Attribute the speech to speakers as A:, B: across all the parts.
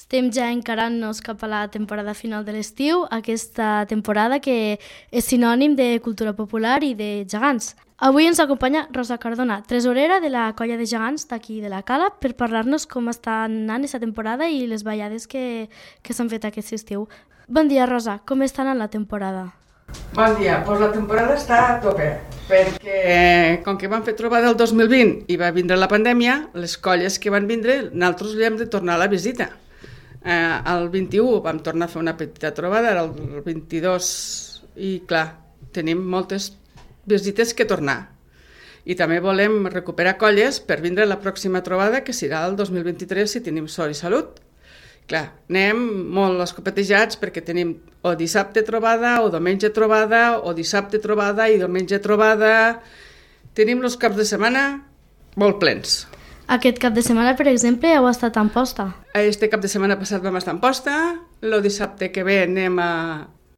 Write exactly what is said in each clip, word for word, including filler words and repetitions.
A: Estem ja encarant-nos cap a la temporada final de l'estiu, aquesta temporada que és sinònim de cultura popular i de gegants. Avui ens acompanya Rosa Cardona, tresorera de la colla de gegants d'aquí de la Cala, per parlar-nos com està anant aquesta temporada i les ballades que, que s'han fet aquest estiu. Bon dia, Rosa, com està anant la temporada?
B: Bon dia, doncs la temporada està a tope, perquè com que vam fer trobada el dos mil vint i va vindre la pandèmia, les colles que van vindre, nosaltres li hem de tornar a la visita. Eh, el vint-i-u vam tornar a fer una petita trobada, era el vint-i-dos, i clar, tenim moltes visites que tornar. I també volem recuperar colles per vindre a la pròxima trobada, que serà el dos mil vint-i-tres, si tenim sort i salut. Clar, anem molt escopetejats perquè tenim o dissabte trobada, o diumenge trobada, o dissabte trobada i diumenge trobada. Tenim els caps de setmana molt plens.
A: Aquest cap de setmana, per exemple, heu estat a Amposta.
B: Este cap de setmana passat vam estar a Amposta, el dissabte que ve anem a,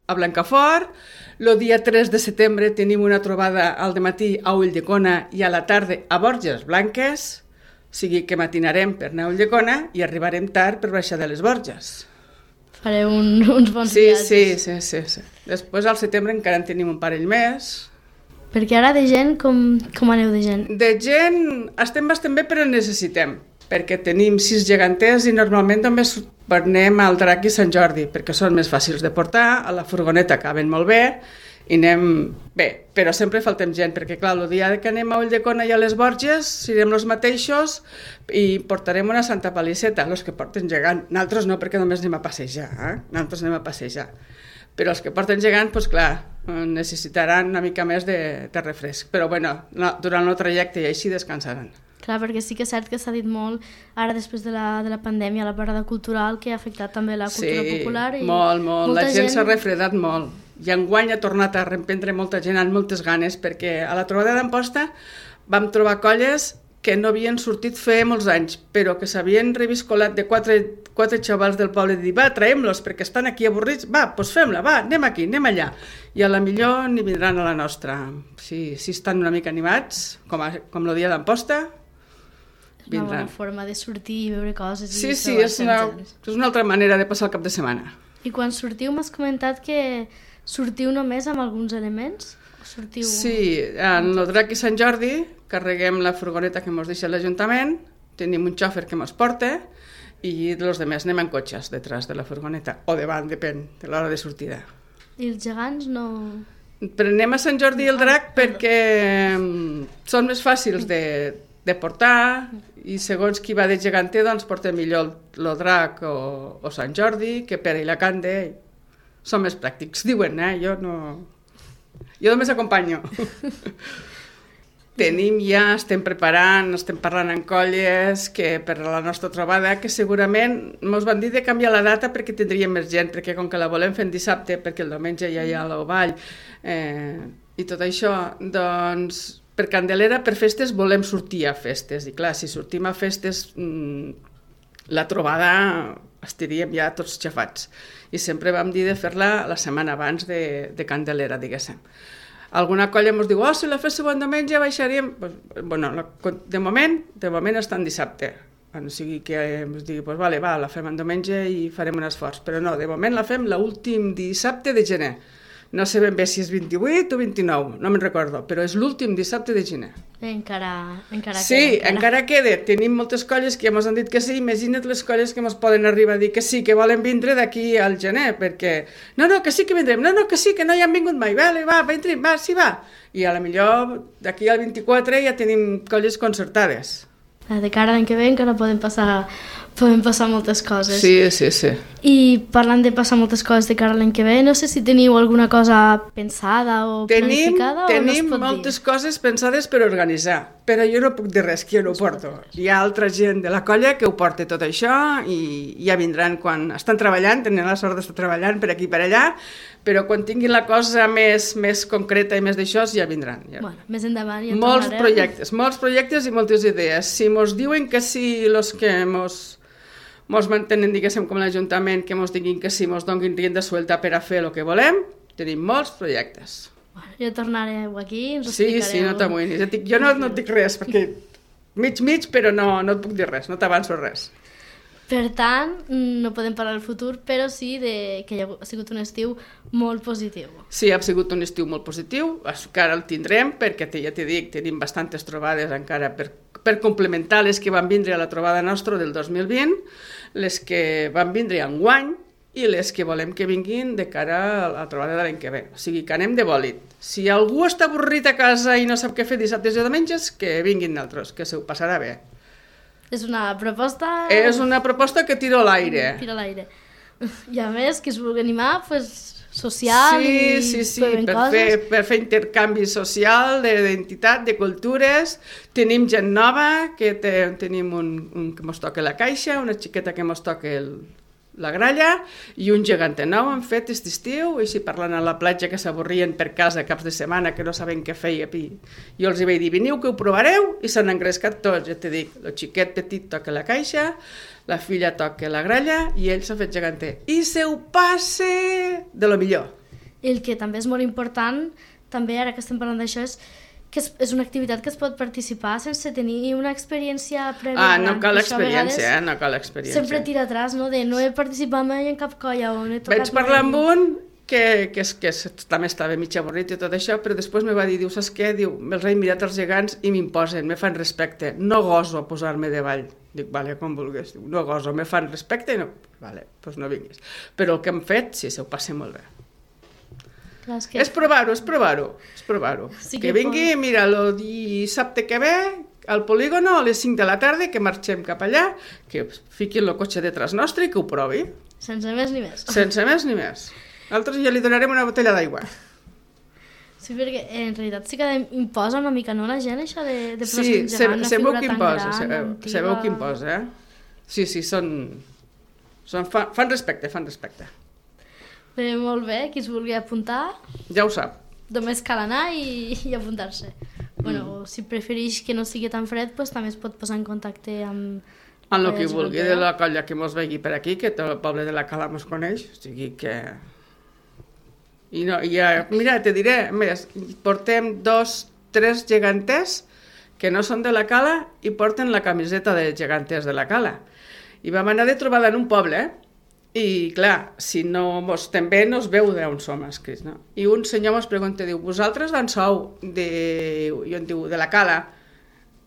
B: a Blancafort, el dia tres de setembre tenim una trobada al dematí a Ulldecona i a la tarda a Borges Blanques, o sigui que matinarem per anar a Ulldecona i arribarem tard per baixar de les Borges.
A: Fareu un, uns bons
B: sí,
A: viatges.
B: Sí, sí, sí, sí. Després al setembre encara en tenim un parell més.
A: Perquè ara de gent, com, com aneu de gent?
B: De gent estem bastant bé, però necessitem, perquè tenim sis geganters i normalment només anem al Drac i Sant Jordi, perquè són més fàcils de portar, a la furgoneta caben molt bé, i anem bé, però sempre faltem gent, perquè clar, el dia que anem a Ulldecona i a les Borges, serem els mateixos i portarem una santa paliceta, els que porten gegant. Nosaltres no, perquè només anem a passejar, eh? Nosaltres anem a passejar. Però els que porten gegant, doncs clar, necessitaran una mica més de, de refresc. Però bueno, no, durant el trajecte i així descansaran.
A: Clar, perquè sí que és cert que s'ha dit molt, ara després de la, de la pandèmia, la parada cultural, que ha afectat també la cultura
B: sí,
A: popular.
B: Sí, molt, molt. La gent, gent s'ha refredat molt. I enguany ha tornat a reemprendre molta gent amb moltes ganes, perquè a la trobada d'Amposta vam trobar colles que no havien sortit fer molts anys, però que s'havien reviscolat de quatre, quatre xavals del poble i dir, va, traiem-los, perquè estan aquí avorrits, va, doncs fem-la, va, anem aquí, anem allà. I a la millor n'hi vindran a la nostra. Si, si estan una mica animats, com, a, com el dia d'Amposta,
A: és una bona forma de sortir i veure coses.
B: Sí, sí, és una, és una altra manera de passar el cap de setmana.
A: I quan sortiu m'has comentat que sortiu només amb alguns elements? Sortiu...
B: Sí, en el Drac i Sant Jordi carreguem la furgoneta que ens deixa l'Ajuntament, tenim un xòfer que ens porta i els altres anem en cotxes detrás de la furgoneta, o davant, depèn de l'hora de sortida.
A: I els gegants no...
B: Però anem a Sant Jordi i el Drac perquè són més fàcils de, de portar i segons qui va de geganter doncs porta millor el Drac o, o Sant Jordi que Pere i la Cande. Són més pràctics, diuen, eh? Jo no... Jo només acompanyo. Tenim ja, estem preparant, estem parlant en colles que per a la nostra trobada, que segurament ens van dir de canviar la data perquè tindríem més gent, perquè com que la volem fer en dissabte, perquè el diumenge ja hi ha el ball eh, i tot això, doncs per Candelera, per festes, volem sortir a festes. I clar, si sortim a festes, mmm, la trobada estaríem ja tots xafats. I sempre vam dir de fer-la la setmana abans de, de Candelera, diguéssim. Alguna colla ens diu, oh, si la féssiu en diumenge baixaríem... Pues, bueno, de moment, de moment està en dissabte. O sigui que ens digui, pues, vale, va, la fem en diumenge i farem un esforç. Però no, de moment la fem l'últim dissabte de gener. No sé ben bé si és vint-i-vuit o vint-i-nou, no me'n recordo, però és l'últim dissabte de gener.
A: Encara, encara
B: sí,
A: queda.
B: Sí, encara queda. Tenim moltes colles que ja ens han dit que sí. Imagina't les colles que ens poden arribar a dir que sí, que volen vindre d'aquí al gener, perquè no, no, que sí que vindrem, no, no, que sí, que no hi han vingut mai, vale, va, vindrem, va, sí, va. I a la millor d'aquí al vint-i-quatre ja tenim colles concertades.
A: De cara a l'any que ve encara poden passar... Poden passar moltes coses.
B: Sí, sí, sí.
A: I parlant de passar moltes coses de cara a l'any que ve, no sé si teniu alguna cosa pensada o
B: tenim,
A: planificada
B: tenim
A: o no es pot
B: moltes
A: dir?
B: Coses pensades per organitzar, però jo no puc dir res, que jo no ho porto. Hi ha altra gent de la colla que ho porta tot això i ja vindran quan estan treballant, tenen la sort d'estar treballant per aquí i per allà, però quan tinguin la cosa més, més concreta i més d'això ja vindran. Ja.
A: Bueno, més endavant ja
B: molts
A: tornarem.
B: projectes, molts projectes i moltes idees. Si mos diuen que sí, els que mos... mos mantenen, diguéssim, com l'Ajuntament, que mos diguin que sí, mos donin rienda suelta per a fer el que volem, tenim molts projectes.
A: Bueno, jo tornareu aquí i ens
B: sí,
A: explicareu.
B: Sí, no t'amoïnis. Jo no, no et dic res, perquè mig, mig, però no, no et puc dir res, no t'avanço res.
A: Per tant, no podem parlar del futur, però sí de que ha sigut un estiu molt positiu.
B: Sí, ha sigut un estiu molt positiu, encara el tindrem, perquè ja t'he dit, tenim bastantes trobades encara per, per complementar les que van vindre a la trobada nostra del dos mil vint, les que van vindre enguany i les que volem que vinguin de cara a la trobada de l'any que ve. O sigui, que anem de bòlit. Si algú està avorrit a casa i no sap què fer dissabtes i diumenges, que vinguin d'altres, que se ho passarà bé.
A: És una proposta...
B: És una proposta que tiro a l'aire.
A: Tira a l'aire. I a més, qui es vulgui animar, pues, social
B: sí,
A: i...
B: Sí, sí, sí, per fer, per fer intercanvi social, d'identitat, de cultures. Tenim gent nova, que te, tenim un, un que mos toca la caixa, una xiqueta que mos toca el, la gralla, i un gegant nou han fet aquest estiu, i si parlant a la platja que s'avorrien per casa caps de setmana, que no saben què feia, i jo els hi vaig dir, veniu que ho provareu, i s'han engrescat tots, ja t'he dit, el xiquet petit toca la caixa, la filla toca la gralla, i ell s'ha fet geganter. I se ho passe de lo millor.
A: I el que també és molt important, també ara que estem parlant d'això, és que és, és una activitat que es pot participar sense tenir una experiència prèvia.
B: Ah, no cal experiència, eh? No cal experiència.
A: Sempre tira atràs, no? De no he participat mai en cap colla o no he tocat...
B: Vaig parlar amb un que, que, que també estava mig avorrit i tot això, però després me va dir, diu, saps què? Diu, me'ls he mirat els gegants i m'imposen, me fan respecte, no goso posar-me davall. Dic, vale, com vulguis. Diu, no goso, me fan respecte i no... Vale, doncs no vinguis. Però el que hem fet, sí, se ho passa molt bé.
A: Clar, és que...
B: És provar-ho, és provar-ho, és provar-ho. Sí que, que vingui, pot... mira, el dissabte que ve, al polígono, a les cinc de la tarda, que marxem cap allà, que fiquin el cotxe detrás nostre i que ho provi.
A: Sense més ni més.
B: Sense més ni més. Nosaltres ja li donarem una botella d'aigua.
A: Sí, perquè en realitat sí que imposa una mica, no, la gent, això de, de posar
B: sí,
A: un gegant, una figura tan
B: imposa,
A: gran,
B: sabeu,
A: antiga...
B: sabeu qui imposa, eh? Sí, sí, són... són fan, fan respecte, fan respecte.
A: Bé, molt bé, qui es vulgui apuntar...
B: Ja ho sap.
A: Només cal anar i, i apuntar-se. Mm. Bueno, si prefereix que no sigui tan fred, pues, també es pot posar en contacte amb...
B: En el que vulgui de la colla que mos vegi per aquí, que tot el poble de la Cala mos coneix, o sigui que... I no, i ja, mira, te diré, més, portem dos, tres geganters que no són de la Cala i porten la camiseta de geganters de la Cala. I vam anar de trobada en un poble, eh? I, clar, si no mos estem bé, no es veu d'on som escrits, no? I un senyor mos pregunta, diu, vosaltres d'on sou? De... I on diu, de la Cala.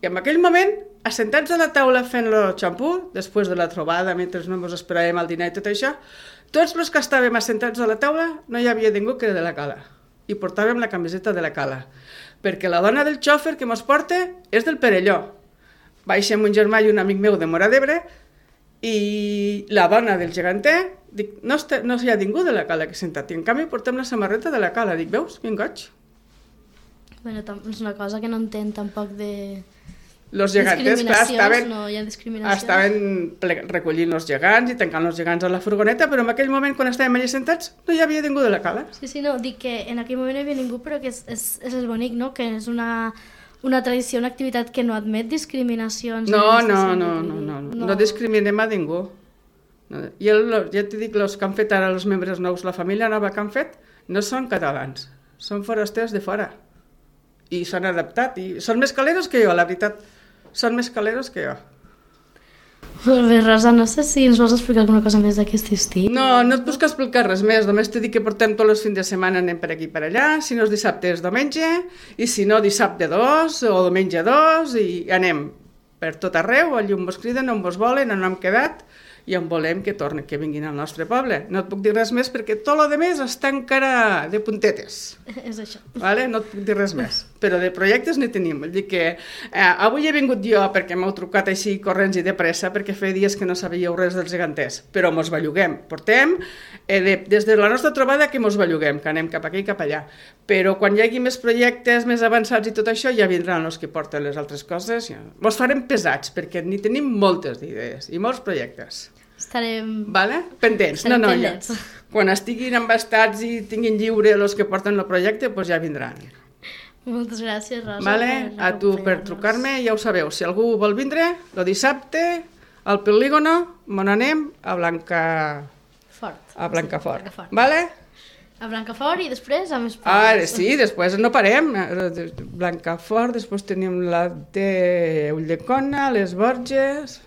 B: I en aquell moment, assentats a la taula fent el xampú, després de la trobada, mentre no mos esperàvem al dinar i tot això, tots els que estàvem assentats a la taula no hi havia ningú que era de la Cala. I portàvem la camiseta de la Cala. Perquè la dona del xòfer que mos porta és del Perelló. Baixem un germà i un amic meu de Móra d'Ebre, i la dona del geganter, dic, no, està, no hi ha ningú de la Cala que sentat, i en canvi portem la samarreta de la Cala. Dic, veus, quin goig?
A: Bueno, és una cosa que no entenc tampoc de...
B: Los geganters, clar, estaven,
A: no hi ha discriminacions.
B: Estaven recollint els gegants i tancant els gegants a la furgoneta, però en aquell moment, quan estàvem allà sentats, no hi havia ningú de la Cala.
A: Sí, sí, no, dic que en aquell moment no hi havia ningú, però que és, és, és el bonic, no?, que és una... una tradició, una activitat que no admet discriminacions.
B: No, no, no, no, no, no, no discriminem a ningú. I el, ja t'he dit, els que han fet ara els membres nous, la família nova que han fet, no són catalans, són forasters de fora. I s'han adaptat, i són més caleros que jo, la veritat, són més caleros que jo.
A: Molt bé, Rosa, no sé si ens vols explicar alguna cosa més d'aquest estiu.
B: No, no et puc explicar res més, només t'he dit que portem tots els fins de setmana, anem per aquí per allà, si no és dissabte és diumenge, i si no dissabte dos o diumenge dos, i anem per tot arreu, allà on vos criden, on vos volen, on hem quedat, i on volem que tornen, que vinguin al nostre poble. No et puc dir res més perquè tot el més està encara de puntetes.
A: És això.
B: Vale? No et puc dir res més. Però de projectes n'hi tenim. Vull dir que eh, avui he vingut jo perquè m'heu trucat així corrents i de pressa perquè feia dies que no sabíeu res dels geganters. Però mos belluguem. Portem eh, de, des de la nostra trobada que mos belluguem, que anem cap aquí i cap allà. Però quan hi hagi més projectes més avançats i tot això, ja vindran els que porten les altres coses. Ja. Mos farem pesats perquè n'hi tenim moltes idees i molts projectes.
A: Estarem...
B: Vale? Pendents.
A: Estarem
B: no, no,
A: pendents.
B: Ja. Quan estiguin embastats i tinguin lliure els que porten el projecte, doncs ja vindran.
A: Moltes gràcies, Rosa.
B: Vale? A tu per trucar-me, ja ho sabeu. Si algú vol vindre, el dissabte, al polígono, on anem? A Blancafort. A Blancafort. Sí, Blancafort. Vale?
A: A Blancafort i després a més pobles.
B: Ah, sí, després no parem. Blancafort, després tenim la de Ulldecona, les Borges...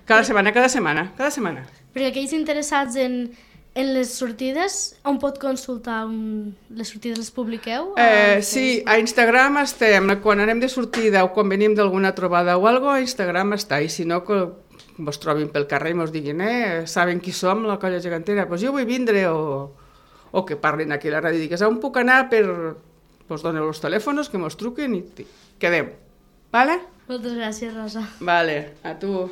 B: Cada setmana, cada setmana, cada setmana.
A: Perquè aquells interessats en, en les sortides, on pot consultar un... les sortides les publiqueu?
B: Eh, sí, a Instagram estem, quan anem de sortida o quan venim d'alguna trobada o alguna cosa, a Instagram està, i si no, que vos trobin pel carrer i mos diguin, eh, saben qui som, la colla gegantera, doncs jo vull vindre, o, o que parlin aquí a la ràdio i digues, on puc anar per... Vos doneu els telèfons, que mos truquen i quedem. Vale?
A: Moltes gràcies, Rosa.
B: Vale, a tu.